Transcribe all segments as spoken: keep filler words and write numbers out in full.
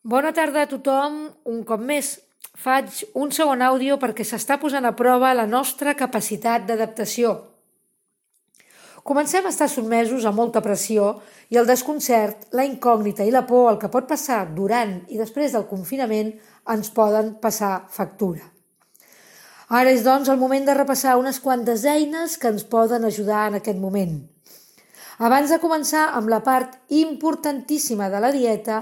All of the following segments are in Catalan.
Bona tarda a tothom. Un cop més faig un segon àudio perquè s'està posant a prova la nostra capacitat d'adaptació. Comencem a estar sotmesos a molta pressió i el desconcert, la incògnita i la por al que pot passar durant i després del confinament ens poden passar factura. Ara és, doncs, el moment de repassar unes quantes eines que ens poden ajudar en aquest moment. Abans de començar amb la part importantíssima de la dieta,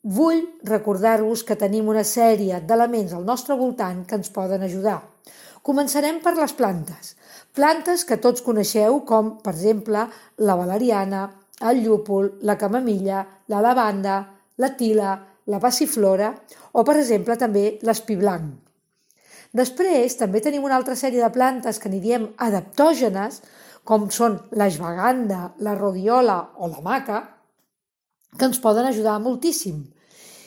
vull recordar-vos que tenim una sèrie d'elements al nostre voltant que ens poden ajudar. Començarem per les plantes. Plantes que tots coneixeu com, per exemple, la valeriana, el llúpol, la camamilla, la lavanda, la tila, la passiflora o, per exemple, també l'espí blanc. Després també tenim una altra sèrie de plantes que n'hi diem adaptògenes, com són l'ashwagandha, la rhodiola o la maca, que ens poden ajudar moltíssim.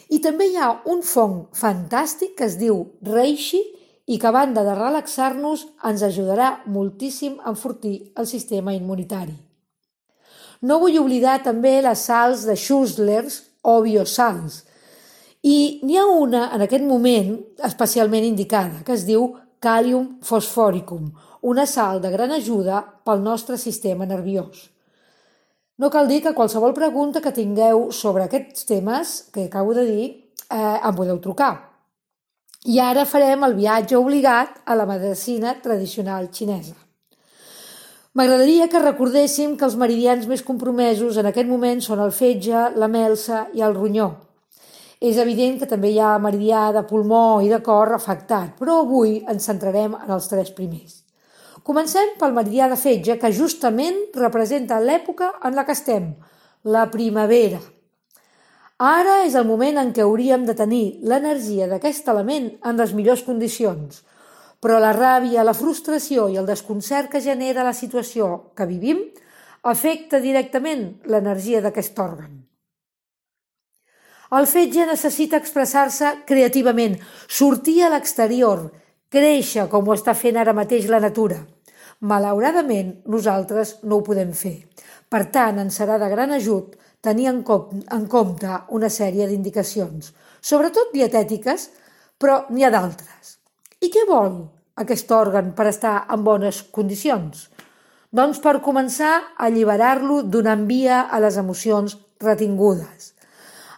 I també hi ha un fong fantàstic que es diu reishi i que a banda de relaxar-nos ens ajudarà moltíssim a enfortir el sistema immunitari. No vull oblidar també les sals de Schussler's o biosals. I n'hi ha una en aquest moment especialment indicada, que es diu Kalium fosforicum, una sal de gran ajuda pel nostre sistema nerviós. No cal dir que qualsevol pregunta que tingueu sobre aquests temes que acabo de dir eh, em podeu trucar. I ara farem el viatge obligat a la medicina tradicional xinesa. M'agradaria que recordéssim que els meridians més compromesos en aquest moment són el fetge, la melsa i el ronyó. És evident que també hi ha meridià de pulmó i de cor afectat, però avui ens centrarem en els tres primers. Comencem pel meridià de fetge, que justament representa l'època en la que estem, la primavera. Ara és el moment en què hauríem de tenir l'energia d'aquest element en les millors condicions, però la ràbia, la frustració i el desconcert que genera la situació que vivim afecta directament l'energia d'aquest òrgan. El fetge necessita expressar-se creativament, sortir a l'exterior, créixer com ho està fent ara mateix la natura. Malauradament, nosaltres no ho podem fer. Per tant, ens serà de gran ajut tenir en compte una sèrie d'indicacions, sobretot dietètiques, però n'hi ha d'altres. I què vol aquest òrgan per estar en bones condicions? Doncs per començar a alliberar-lo donant via a les emocions retingudes.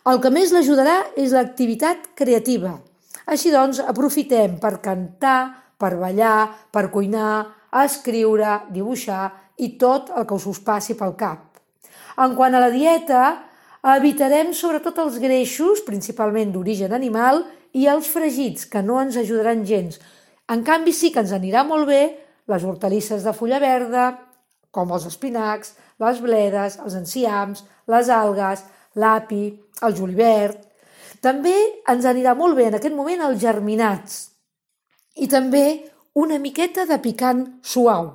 El que més l'ajudarà és l'activitat creativa. Així doncs, aprofitem per cantar, per ballar, per cuinar, escriure, dibuixar i tot el que us passi pel cap. En quant a la dieta, evitarem sobretot els greixos, principalment d'origen animal, i els fregits, que no ens ajudaran gens. En canvi, sí que ens anirà molt bé les hortalisses de fulla verda, com els espinacs, les bledes, els enciams, les algues, l'api, el julivert. També ens anirà molt bé en aquest moment els germinats i també una miqueta de picant suau.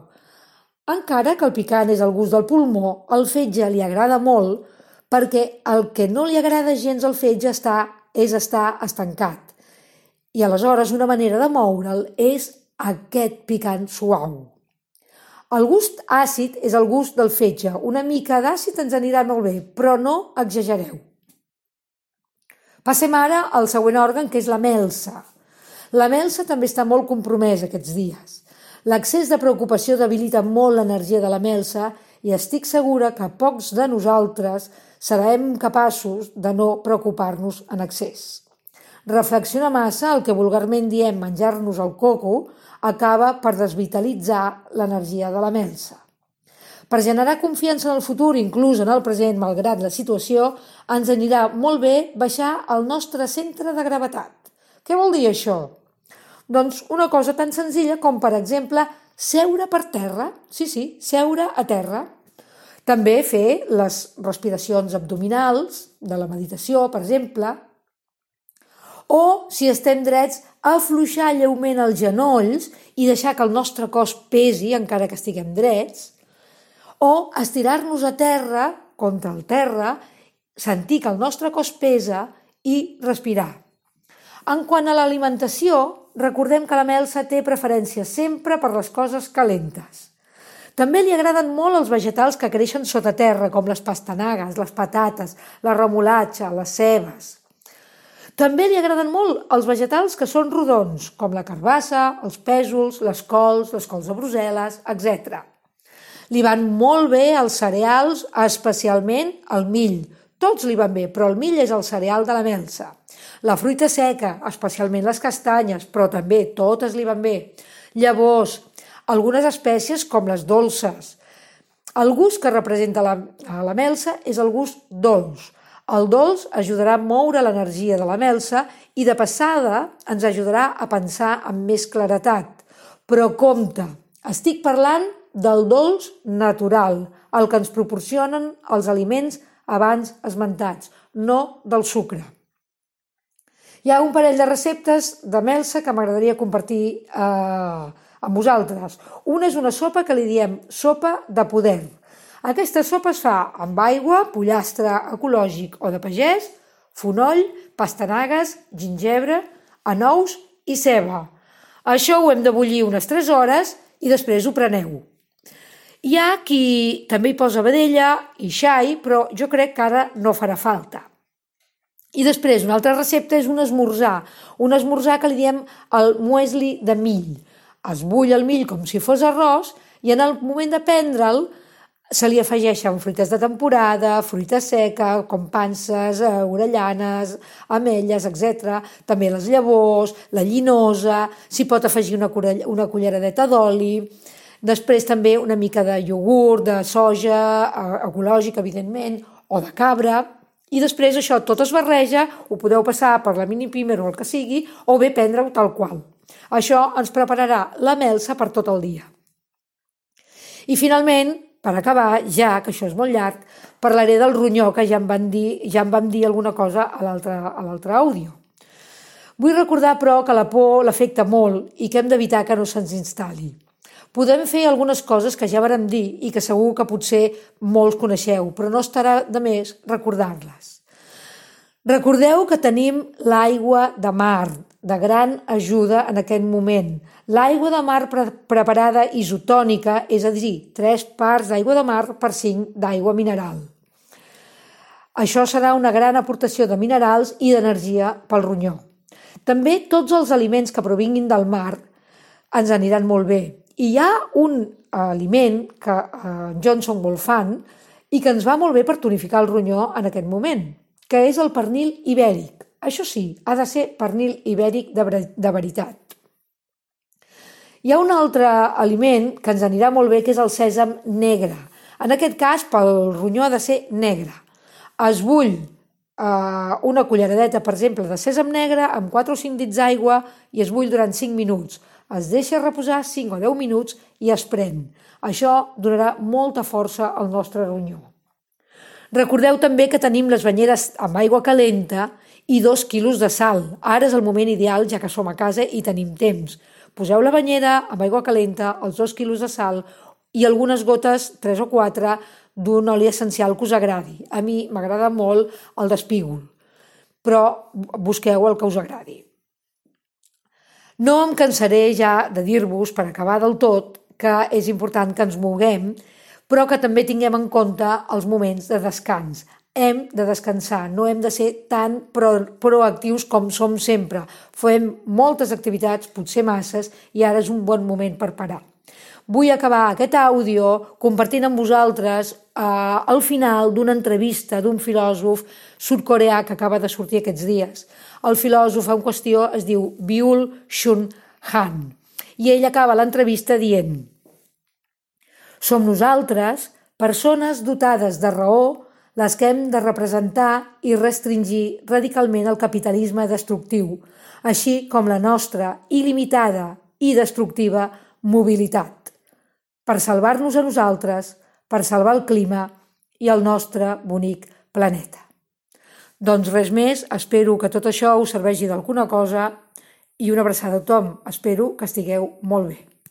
Encara que el picant és el gust del pulmó, el fetge li agrada molt perquè el que no li agrada gens al fetge està, és estar estancat. I aleshores una manera de moure'l és aquest picant suau. El gust àcid és el gust del fetge. Una mica d'àcid ens anirà molt bé, però no exagereu. Passem ara al següent òrgan, que és la melsa. La melsa també està molt compromesa aquests dies. L'excés de preocupació debilita molt l'energia de la melsa i estic segura que pocs de nosaltres serem capaços de no preocupar-nos en excés. Reflexionar massa, el que vulgarment diem menjar-nos el coco, acaba per desvitalitzar l'energia de la melsa. Per generar confiança en el futur, inclús en el present, malgrat la situació, ens anirà molt bé baixar el nostre centre de gravetat. Què vol dir això? Doncs una cosa tan senzilla com, per exemple, seure per terra. Sí, sí, seure a terra. També fer les respiracions abdominals, de la meditació, per exemple. O, si estem drets, afluixar lleument els genolls i deixar que el nostre cos pesi, encara que estiguem drets. O estirar-nos a terra, contra el terra, sentir que el nostre cos pesa i respirar. En quant a l'alimentació, recordem que la melsa té preferència sempre per les coses calentes. També li agraden molt els vegetals que creixen sota terra, com les pastanagues, les patates, la remolatxa, les cebes. També li agraden molt els vegetals que són rodons, com la carbassa, els pèsols, les cols, les cols de Brussel·les, etcètera. Li van molt bé els cereals, especialment el mill. Tots li van bé, però el mill és el cereal de la melsa. La fruita seca, especialment les castanyes, però també totes li van bé. Llavors, algunes espècies com les dolces. El gust que representa la, la melsa és el gust dolç. El dolç ajudarà a moure l'energia de la melsa i de passada ens ajudarà a pensar amb més claretat. Però compte, estic parlant del dolç natural, el que ens proporcionen els aliments abans esmentats, no del sucre. Hi ha un parell de receptes de melsa que m'agradaria compartir eh, amb vosaltres. Una és una sopa que li diem sopa de poder. Aquesta sopa es fa amb aigua, pollastre ecològic o de pagès, fonoll, pastanagues, gingebre, anous i ceba. Això ho hem de bullir unes tres hores i després ho preneu. Hi ha qui també hi posa vedella i xai, però jo crec que ara no farà falta. I després una altra recepta és un esmorzar, un esmorzar que li diem el muesli de mill. Es bull el mill com si fos arròs i en el moment de prendre'l se li afegeixen fruites de temporada, fruita seca, com panses, orellanes, ametlles, etcètera. També les llavors, la llinosa, s'hi pot afegir una, una culleradeta d'oli. Després també una mica de iogurt, de soja, ecològic, evidentment, o de cabra. I després això tot es barreja, ho podeu passar per la mini pimer o el que sigui, o bé prendre-ho tal qual. Això ens prepararà la melsa per tot el dia. I finalment, per acabar, ja que això és molt llarg, parlaré del ronyó, que ja em van dir, ja em vam dir alguna cosa a l'altre àudio. Vull recordar, però, que la por l'afecta molt i que hem d'evitar que no se'ns instal·li. Podem fer algunes coses que ja vàrem dir i que segur que potser molts coneixeu, però no estarà de més recordar-les. Recordeu que tenim l'aigua de mar, de gran ajuda en aquest moment. L'aigua de mar pre preparada isotònica, és a dir, tres parts d'aigua de mar per cinc d'aigua mineral. Això serà una gran aportació de minerals i d'energia pel ronyó. També tots els aliments que provinguin del mar ens aniran molt bé. I hi ha un aliment que en Johnson molt fan i que ens va molt bé per tonificar el ronyó en aquest moment, que és el pernil ibèric. Això sí, ha de ser pernil ibèric de, de veritat. Hi ha un altre aliment que ens anirà molt bé, que és el sèsam negre. En aquest cas, pel ronyó ha de ser negre. Es bull eh, una culleradeta, per exemple, de sèsam negre amb quatre o cinc dits d'aigua i es bull durant cinc minuts. Es deixa reposar cinc o deu minuts i es pren. Això donarà molta força al nostre ronyó. Recordeu també que tenim les banyeres amb aigua calenta i dos quilos de sal. Ara és el moment ideal, ja que som a casa i tenim temps. Poseu la banyera amb aigua calenta, els dos quilos de sal i algunes gotes, tres o quatre, d'un oli essencial que us agradi. A mi m'agrada molt el d'espígol, però busqueu el que us agradi. No em cansaré ja de dir-vos, per acabar del tot, que és important que ens moguem, però que també tinguem en compte els moments de descans. Hem de descansar, no hem de ser tan pro proactius com som sempre. Fem moltes activitats, potser masses, i ara és un bon moment per parar. Vull acabar aquest àudio compartint amb vosaltres eh, el final d'una entrevista d'un filòsof sud-coreà que acaba de sortir aquests dies. El filòsof en qüestió es diu Byul-Chul Han i ell acaba l'entrevista dient: som nosaltres, persones dotades de raó, les que hem de representar i restringir radicalment el capitalisme destructiu, així com la nostra il·limitada i destructiva mobilitat, per salvar-nos a nosaltres, per salvar el clima i el nostre bonic planeta. Doncs res més, espero que tot això us serveixi d'alguna cosa i una abraçada a tothom. Espero que estigueu molt bé.